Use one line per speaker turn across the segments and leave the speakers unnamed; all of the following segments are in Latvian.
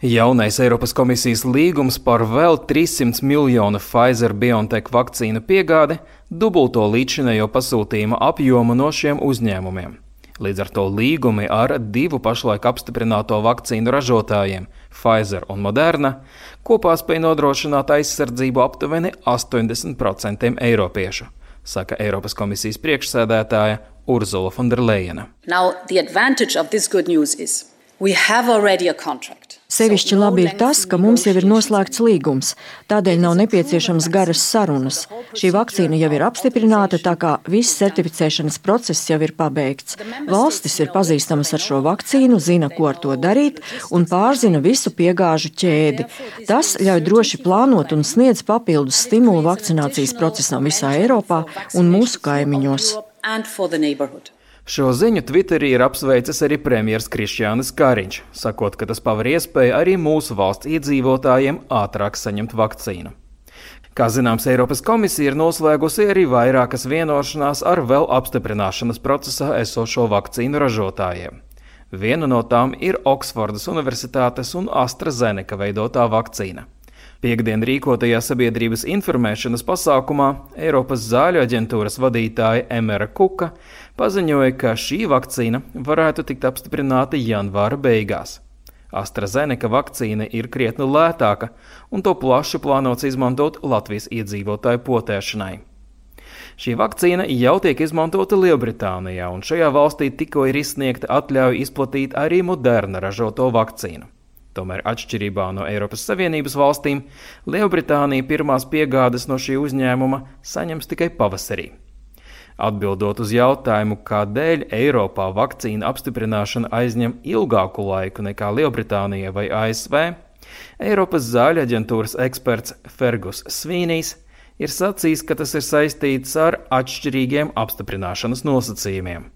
Jaunais Eiropas komisijas līgums par vēl 300 miljonu Pfizer-BioNTech vakcīnu piegādi dubulto līdzinējo pasūtījuma apjomu no šiem uzņēmumiem. Līdz ar to līgumi ar 2 pašlaik apstiprināto vakcīnu ražotājiem, Pfizer un Moderna, kopā spēj nodrošināt aizsardzību aptuveni 80% eiropiešu, saka Eiropas komisijas priekšsēdētāja Ursula von der Leyena.
Now, the advantage of this good news is we have already a contract.
Sevišķi labi ir tas, ka mums jau ir noslēgts līgums, tādēļ nav nepieciešams garas sarunas. Šī vakcīna jau ir apstiprināta, tā kā viss certificēšanas process jau ir pabeigts. Valstis ir pazīstamas ar šo vakcīnu, zina, ko ar to darīt un pārzina visu piegāžu ķēdi. Tas ļauj droši plānot un sniedz papildus stimulu vakcinācijas procesam visā Eiropā un mūsu kaimiņos.
Šo ziņu Twitterī ir apsveicis arī premjers Krišjānis Kariņš, sakot, ka tas paver iespēju arī mūsu valsts iedzīvotājiem ātrāk saņemt vakcīnu. Kā zināms, Eiropas komisija ir noslēgusi arī vairākas vienošanās ar vēl apstiprināšanas procesā esošo vakcīnu ražotājiem. Viena no tām ir Oksfordas Universitātes un AstraZeneca veidotā vakcīna. Piektdien rīkotajā sabiedrības informēšanas pasākumā Eiropas zāļu aģentūras vadītāja Emera Kuka paziņoja, ka šī vakcīna varētu tikt apstiprināta janvāra beigās. AstraZeneca vakcīna ir krietni lētāka, un to plaši plānots izmantot Latvijas iedzīvotāju potēšanai. Šī vakcīna jau tiek izmantota Lielbritānijā, un šajā valstī tikko ir izsniegta atļauja izplatīt arī Moderna ražoto vakcīnu. Tomēr atšķirībā no Eiropas Savienības valstīm, Lielbritānija pirmās piegādes no šī uzņēmuma saņems tikai pavasarī. Atbildot uz jautājumu, kādēļ Eiropā vakcīna apstiprināšana aizņem ilgāku laiku nekā Lielbritānija vai ASV, Eiropas zāļu aģentūras eksperts Fergus Svīnijs ir sacījis, ka tas ir saistīts ar atšķirīgiem apstiprināšanas nosacījumiem.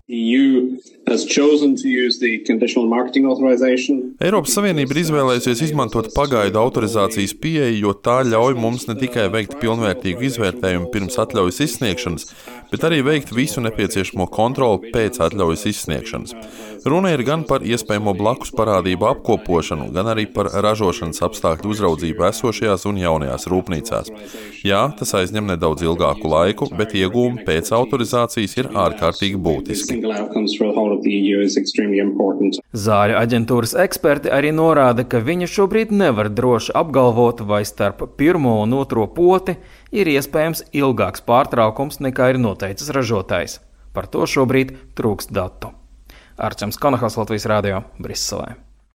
Eiropas Savienība ir izvēlējusies izmantot pagaidu autorizācijas pieeju, jo tā ļauj mums ne tikai veikt pilnvērtīgu izvērtējumu pirms atļaujas izsniegšanas, bet arī veikt visu nepieciešamo kontroli pēc atļaujas izsniegšanas. Runa ir gan par iespējamo blakus parādību apkopošanu, gan arī par ražošanas apstākļu uzraudzību esošajās un jaunajās rūpnīcās. Jā, tas aizņem nedaudz ilgāku laiku, bet iegūmi pēc autorizācijas ir ārkārtīgi būtiski.
Zāļu aģentūras eksperti arī norāda, ka viņi šobrīd nevar droši apgalvot, vai starp pirmo un otro poti ir iespējams ilgāks pārtraukums nekā ir noteicis ražotājs. Par to šobrīd trūkst datu. Arčams Konahals, Latvijas radio, Briselē.